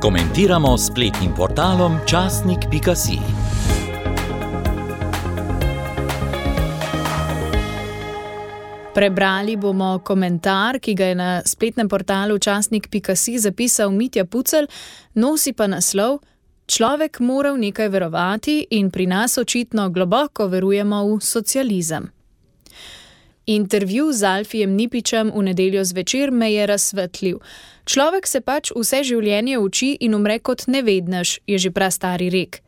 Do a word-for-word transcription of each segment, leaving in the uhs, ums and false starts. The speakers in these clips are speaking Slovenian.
Komentiramo s spletnim portalom časnik pika si. Prebrali bomo komentar, ki ga je na spletnem portalu časnik pika si zapisal Mitja Pucelj, nosi pa naslov: Človek mora v nekaj verovati in pri nas očitno globoko verujemo v socializem. Intervju z Alfijem Nipičem v nedeljo zvečer me je razsvetlil. Človek se pač vse življenje uči in umre kot nevednež, je že prastari rek.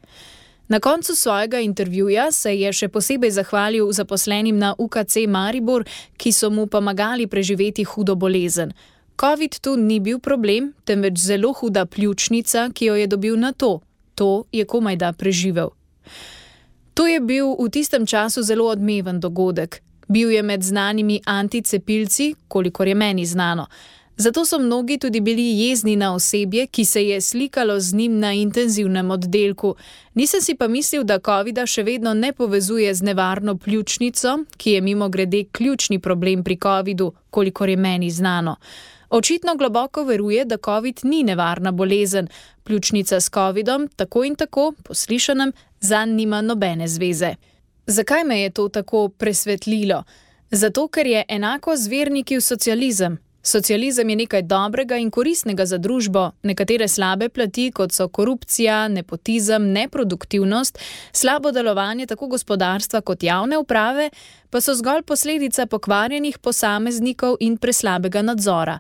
Na koncu svojega intervjuja se je še posebej zahvalil zaposlenim na U K C Maribor, ki so mu pomagali preživeti hudo bolezen. Covid tu ni bil problem, temveč zelo huda pljučnica, ki jo je dobil na to. To je komajda preživel. To je bil v tistem času zelo odmeven dogodek. Bil je med znanimi anticepilci, kolikor je meni znano. Zato so mnogi tudi bili jezni na osebje, ki se je slikalo z njim na intenzivnem oddelku. Nisem si pa mislil, da covida še vedno ne povezuje z nevarno pljučnico, ki je mimogrede ključni problem pri covidu, kolikor je meni znano. Očitno globoko veruje, da covid ni nevarna bolezen. Pljučnica s covidom, tako in tako, po slišanem, zanj nima nobene zveze. Zakaj me je to tako presvetlilo? Zato, ker je enako z verniki v socializem. Socializem je nekaj dobrega in koristnega za družbo, nekatere slabe plati, kot so korupcija, nepotizem, neproduktivnost, slabo delovanje tako gospodarstva kot javne uprave, pa so zgolj posledica pokvarjenih posameznikov in preslabega nadzora.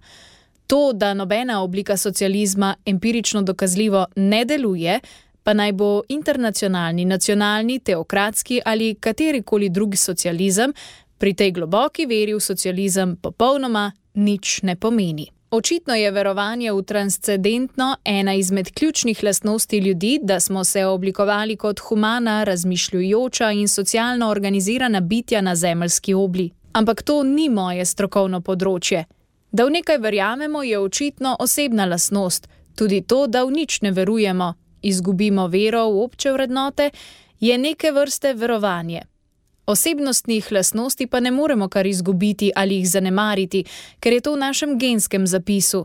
To, da nobena oblika socializma empirično dokazljivo ne deluje, pa naj bo internacionalni, nacionalni, teokratski ali katerikoli drugi socializem, pri tej globoki veri v socializem popolnoma nič ne pomeni. Očitno je verovanje v transcendentno ena izmed ključnih lastnosti ljudi, da smo se oblikovali kot humana, razmišljujoča in socialno organizirana bitja na zemeljski obli. Ampak to ni moje strokovno področje. Da v nekaj verjamemo, je očitno osebna lastnost. Tudi to, da v nič ne verujemo, izgubimo vero v obče vrednote, je neke vrste verovanje. Osebnostnih lastnosti pa ne moremo kar izgubiti ali jih zanemariti, ker je to v našem genskem zapisu.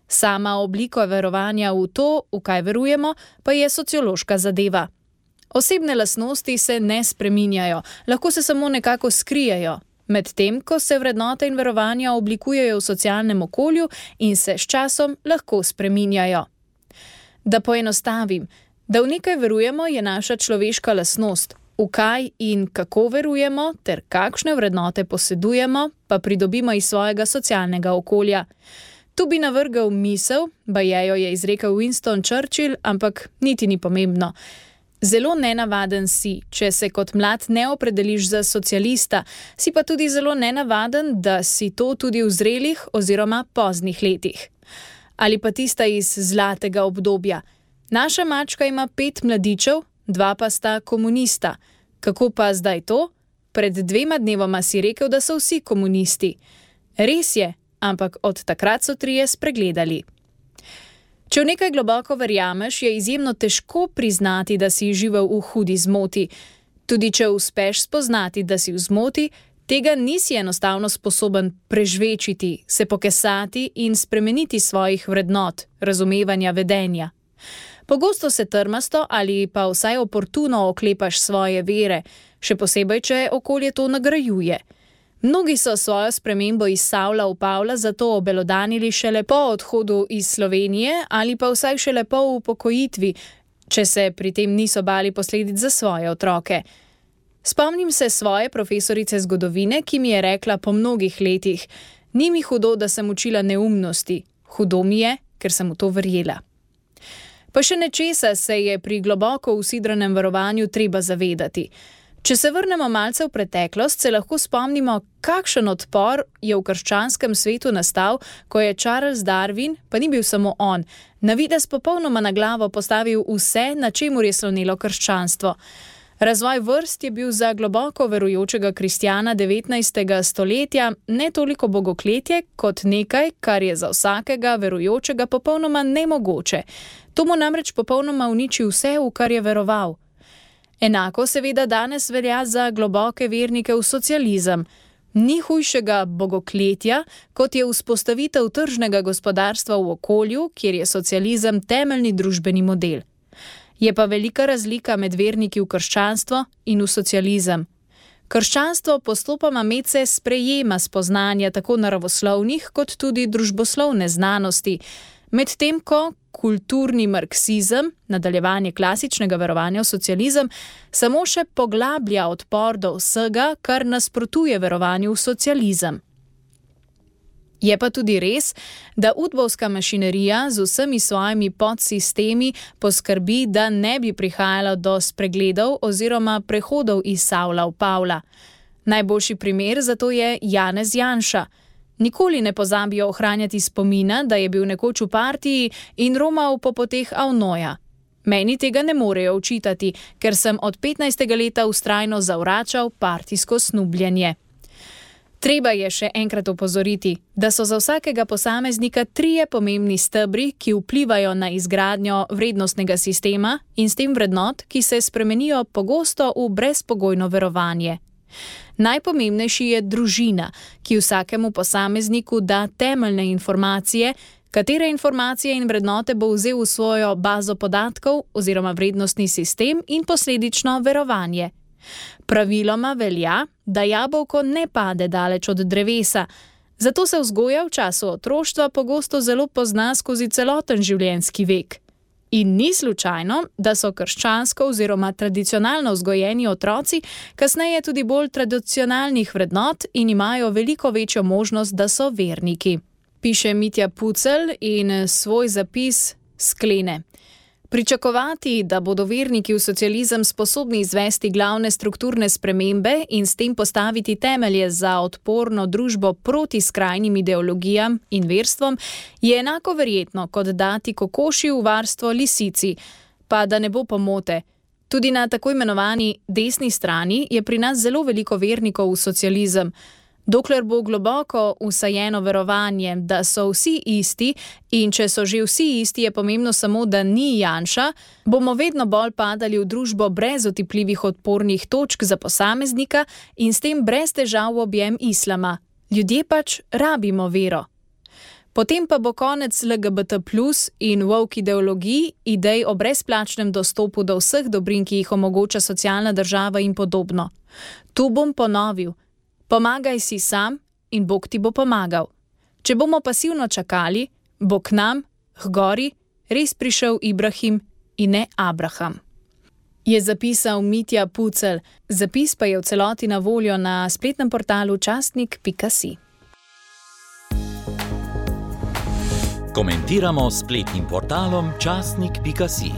Sama oblika verovanja v to, v kaj verujemo, pa je sociološka zadeva. Osebne lastnosti se ne spreminjajo, lahko se samo nekako skrijejo, medtem ko se vrednote in verovanja oblikujejo v socialnem okolju in se s časom lahko spreminjajo. Da poenostavim, da v nekaj verujemo, je naša človeška lastnost. V kaj in kako verujemo ter kakšne vrednote posedujemo, pa pridobimo iz svojega socialnega okolja. Tu bi navrgel misel, baje jo je izrekel Winston Churchill, ampak niti ni pomembno. Zelo nenavaden si, če se kot mlad ne opredeliš za socialista, si pa tudi zelo nenavaden, da si to tudi v zrelih oziroma poznih letih. Ali pa tista iz zlatega obdobja. Naša mačka ima pet mladičev, dva pa sta komunista. Kako pa zdaj to? Pred dvema dnevoma si rekel, da so vsi komunisti. Res je, ampak od takrat so trije spregledali. Če v nekaj globoko verjameš, je izjemno težko priznati, da si živel v hudi zmoti. Tudi če uspeš spoznati, da si v zmoti, tega nisi enostavno sposoben prežvečiti, se pokesati in spremeniti svojih vrednot, razumevanja vedenja. Pogosto se trmasto ali pa vsaj oportuno oklepaš svoje vere, še posebej, če okolje to nagrajuje. Mnogi so svojo spremembo iz Savla v Pavla zato obelodanili šele po odhodu iz Slovenije ali pa vsaj šele po upokojitvi, če se pri tem niso bali posledic za svoje otroke. Spomnim se svoje profesorice zgodovine, ki mi je rekla po mnogih letih: ni mi hudo, da sem učila neumnosti, hudo mi je, ker sem v to verjela. Pa še nečesa se je pri globoko usidranem verovanju treba zavedati. Če se vrnemo malce v preteklost, se lahko spomnimo, kakšen odpor je v krščanskem svetu nastal, ko je Charles Darwin, pa ni bil samo on, na videz popolnoma na glavo postavil vse, na čemur je slonelo krščanstvo. Razvoj vrst je bil za globoko verujočega kristjana devetnajstega stoletja ne toliko bogokletje, kot nekaj, kar je za vsakega verujočega popolnoma nemogoče. To mu namreč popolnoma uniči vse, v kar je veroval. Enako seveda danes velja za globoke vernike v socializem. Ni hujšega bogokletja, kot je vzpostavitev tržnega gospodarstva v okolju, kjer je socializem temeljni družbeni model. Je pa velika razlika med verniki v krščanstvo in v socializem. Krščanstvo postopoma medse sprejema spoznanja tako naravoslovnih kot tudi družboslovne znanosti, medtem ko kulturni marksizem, nadaljevanje klasičnega verovanja v socializem, samo še poglablja odpor do vsega, kar nasprotuje verovanju v socializem. Je pa tudi res, da udbovska mašinerija z vsemi svojimi podsistemi poskrbi, da ne bi prihajalo do spregledov oziroma prehodov iz Savla v Pavla. Najboljši primer za to je Janez Janša. Nikoli ne pozabijo ohranjati spomina, da je bil nekoč v partiji in romal po poteh Avnoja. Meni tega ne morejo očitati, ker sem od petnajstega leta vztrajno zavračal partijsko snubljenje. Treba je še enkrat opozoriti, da so za vsakega posameznika trije pomembni stebri, ki vplivajo na izgradnjo vrednostnega sistema in s tem vrednot, ki se spremenijo pogosto v brezpogojno verovanje. Najpomembnejši je družina, ki vsakemu posamezniku da temeljne informacije, katere informacije in vrednote bo vzel v svojo bazo podatkov oziroma vrednostni sistem in posledično verovanje. Praviloma velja, da jabolko ne pade daleč od drevesa, zato se vzgoja v času otroštva pogosto zelo pozna skozi celoten življenjski vek. In ni slučajno, da so krščansko oziroma tradicionalno vzgojeni otroci kasneje tudi bolj tradicionalnih vrednot in imajo veliko večjo možnost, da so verniki. Piše Mitja Pucelj in svoj zapis sklene. Pričakovati, da bodo verniki v socializem sposobni izvesti glavne strukturne spremembe in s tem postaviti temelje za odporno družbo proti skrajnim ideologijam in verstvom, je enako verjetno, kot dati kokoši v varstvo lisici. Pa da ne bo pomote. Tudi na tako imenovani desni strani je pri nas zelo veliko vernikov v socializem. Dokler bo globoko vsajeno verovanje, da so vsi isti in če so že vsi isti, je pomembno samo, da ni Janša, bomo vedno bolj padali v družbo brez otipljivih odpornih točk za posameznika in s tem brez težav v objem islama. Ljudje pač rabimo vero. Potem pa bo konec L G B T plus in woke ideologij, idej o brezplačnem dostopu do vseh dobrin, ki jih omogoča socialna država in podobno. Tu bom ponovil. Pomagaj si sam in Bog ti bo pomagal. Če bomo pasivno čakali, bo k nam, h gori, res prišel Ibrahim in ne Abraham. Je zapisal Mitja Pucelj. Zapis pa je v celoti na voljo na spletnem portalu časnik pika si. Komentiramo s spletnim portalom časnik pika si.